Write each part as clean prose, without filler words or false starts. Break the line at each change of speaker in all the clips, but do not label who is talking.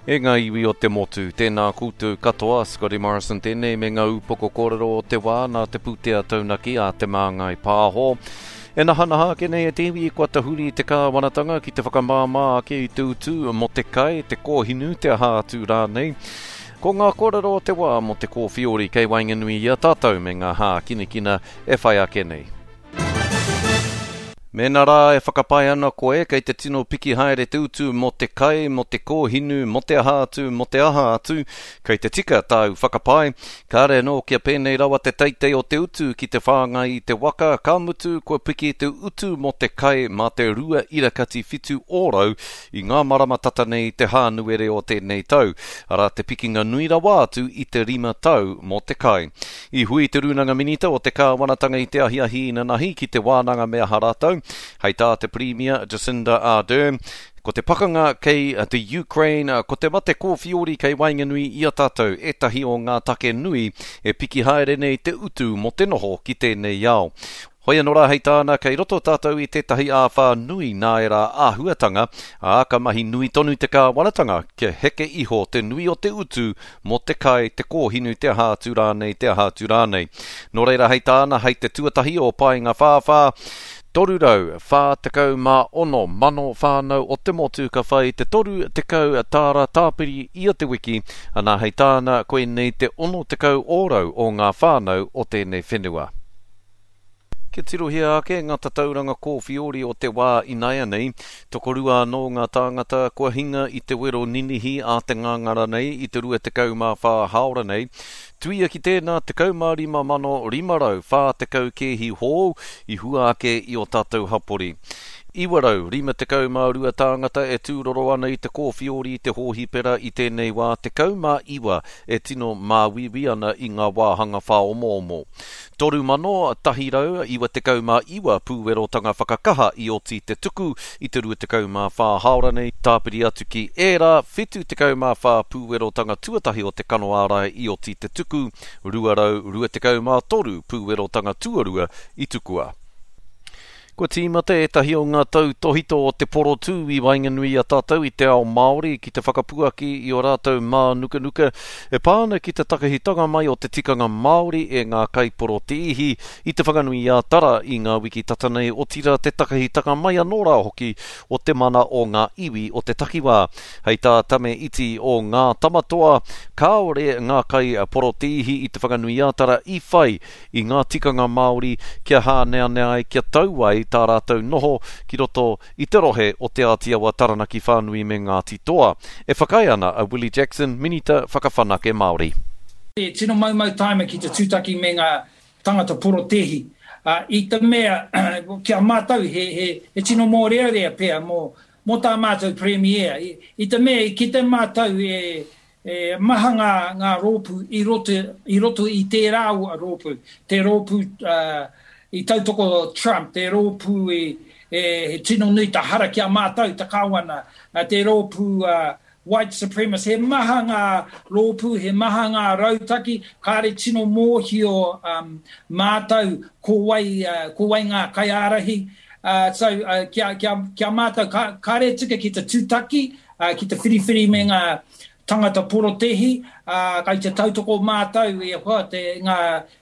E ngā iwi o te motu, tēnā koutou katoa, Scotty Morrison tēnei me ngā upoko kōrero o te wā nā te pūtea taunaki a Te Māngai Pāho. E nahanaha ake nei e te iwi kua tahuri te kāwanatanga ki te whakamāmā ake i te utu mō te kai, te kōhinu, te aha atu rānei. Ko ngā kōrero o te wā mō te kōwhiori kei waenganui i a tātou me ngā hākinakina e whai ake nei. Mēnā rā e whakapae ana koe kei te tino piki haere te utu mō te kai, mō te kōhinu, mō te aha atu, mō te aha atu, kei te tika tāu whakapae. Kāre anō kia pēnei rawa te teitei o te utu ki te whāngai i te waka, ka mutu kua piki te utu mō te kai mā te 2.7 ōrau i ngā marama tata nei i te Hānuere o tēnei tau, arā te pikinga nui rawa atu i te rima tau mō te kai. I hui te Rūnanga Minita o te Kāwanatanga i te ahiahi inanahi ki te wānanga me aha rātou. Hei tā te Pirimia, Jacinda Ardern, ko te pakanga kei te Ukraine, ko te mate kōwhiori kei waenganui i a tātou ētahi o ngā take nui e piki haere nei te utu mō te noho ki tēnei ao. Hoi anō rā hei tāna, kei roto tātou i tētahi āwhā nui nā ērā āhuatanga, ā, ka mahi nui tonu te kāwanatanga kia heke iho te nui o te utu mō te kai, te kōhinu, te aha atu rānei, te aha atu rānei. Nō reira hei tāna, hei te tuatahi o Paengawhāwhā, 346 mano whānau o te motu ka whai te 30 tāra tāpiri ia te wiki, anā hei tāna, koinei te 60 ōrau o ngā whānau o tēnei whenua. Kia tirohia ake ngā tatauranga kōwhiori o te wā inaianei, tokorua anō ngā tāngata kua hinga i te wero ninihi a te ngāngara nei i te 24 hāora nei. Tuia ki tēnā, 15,540 kēhi hou i hua ake i ō tātou hapori. 952 tāngata e tūroro ana i te kōwhiori i te hōhipera i tēnei wā, 19 e tino māuiui ana i ngā wāhanga whāomoomo. 3,199 pūwerotanga whakakaha i oti te tuku i te 24 hāora nei, tāpiri atu ki ērā 74 pūwerotanga tuatahi o te kano ārai i oti te tuku, 223 pūwerotanga tuarua i tukua. Kua tīmata ētahi o ngā tautōhito o te porotū i waenganui i a tātou i te ao Māori ki te whakapuaki i ō rātou mānukanuka e pā ana ki te takahitanga mai o te tikanga Māori e ngā kaiporotēhi i Te Whanganui-a-Tara i ngā wiki tata nei, otirā te takahitanga mai anō rā hoki o te mana o ngā iwi o te takiwā. Hei tā Tame Iti o Ngā Tamatoa, kāore ngā kaiporotēhi i Te Whanganui-a-Tara i whai i ngā tikanga Māori kia hāneanea ai, kia tau ai tā rātou noho ki roto i te rohe o Te Āti Awa, Taranaki Whānui me Ngāti Toa. E whakaae ana a Willie Jackson, Minita Whakawhanake Māori.
E tino maumau tāima ki te tūtaki me ngā tangata porotēhi, ā, i te mea, ki a mātou he, he, he tino mōrearea pea mō, mō tā mātou Premier, i, i te mea i kite mātou e, E maha ngā, ngā rōpū i roto, i roto i tērā rōpū, te rōpū i tautoko Trump, te rōpū i, e, he tino nui te hara ki a mātou, te Kāwana, te rōpū white supremacist, he maha ngā rōpū, he maha ngā rautaki, kāre tino mōhio um, mātou ko wai, ko wai ngā kaiārahi, uh, so, uh, kia, kia, kia mātou, ka, kāre tika ki te tūtaki, ā, ki te whiriwhiri me ngā tangata porotēhi, ā, kai te tautoko mātou e hoa te, ngā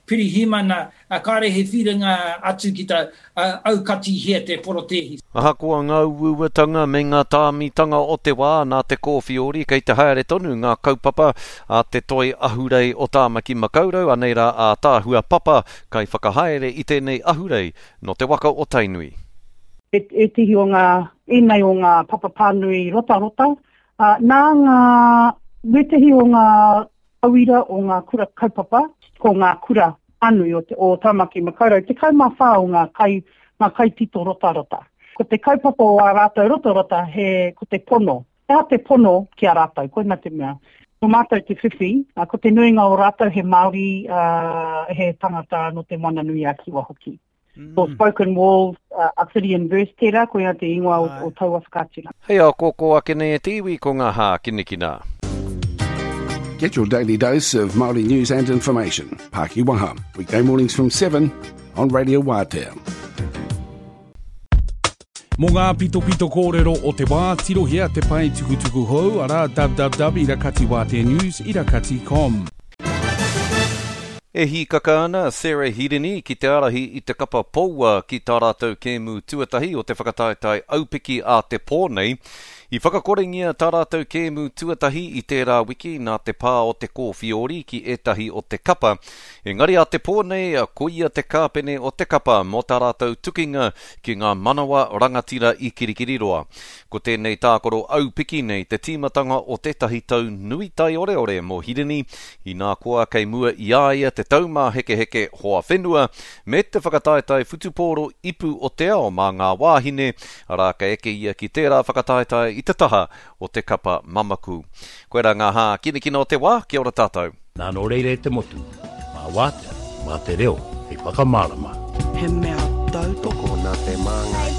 pirihimana, ā, kāre he whiringa atu ki te, ā, aukatihia te porotēhi.
Ahakoa ngā uauatanga me ngā tāmitanga o te wā nā te kōwhiori, kei te haere tonu ngā kaupapa a te Toi Ahurei o Tāmaki Makaurau, anei rā ātaahua Papa, kaiwhakahaere i tēnei ahurei nō te waka o Tainui.
Ētehi o ngā, ēnei o ngā papa pānui rotarota, ā, nā ngā, wētehi o ngā tauira o ngā kura kaupapa, ko ngā kura pānui o te, o Tāmaki Makaurau, 14 o ngā kai, ngā kaitito rotarota. Ko te kaupapa o ā rātou rotarota he, ko te pono. He aha te pono ki a rātou, koina te mea. Nō mātou te whiwhi, ā, ko te nuinga o rātou he Māori, ā, he tangata nō Te Moana-nui-a-Kiwa hoki. Mm. Ko Spoken Walls, uh, Obsidian Verse tērā, koina te ingoa o, o taua whakaaturanga.
Hei ākōkō ake nei e te iwi ko ngā hākinakina.
Get your daily dose of Māori news and information. Paki Waha, weekday mornings from 7 on Radio Wātea.
Mō ngā pitopito kōrero o te wā, tirohia te pae tukutuku hou, arā, www irakatiwāteanews irakati com.
E hīkaka ana a Sarah Hirini ki te ārahi i te kapa Poua ki tā rātou kēmu tuatahi o te whakataetae aupiki a te pō nei. I whakakorengia tā rātou kēmu tuatahi i tērā wiki nā te pā o te kōwhiori ki ētahi o te kapa, engari a te pō nei koia te kāpene o te kapa mō tā rātou tukinga ki ngā manawa rangatira i Kirikiriroa. Ko tēnei tākaro aupiki nei te tīmatanga o tētahi tau nui taioreore mō Hirini, inā koa kei mua i a ia te taumāhekeheke hoa whenua me te whakataetae whutupōro ipu o te ao mā ngā wāhine, arā ka eke ia ki tērā whakataetae i te taha o te kapa mamaku. Koirā ngā hākinakina o te wā, kia ora tātou.
Nā nō reira e te motu, mā Wātea, mā te reo hei whakamārama.
He mea tautoko
nā te māngai.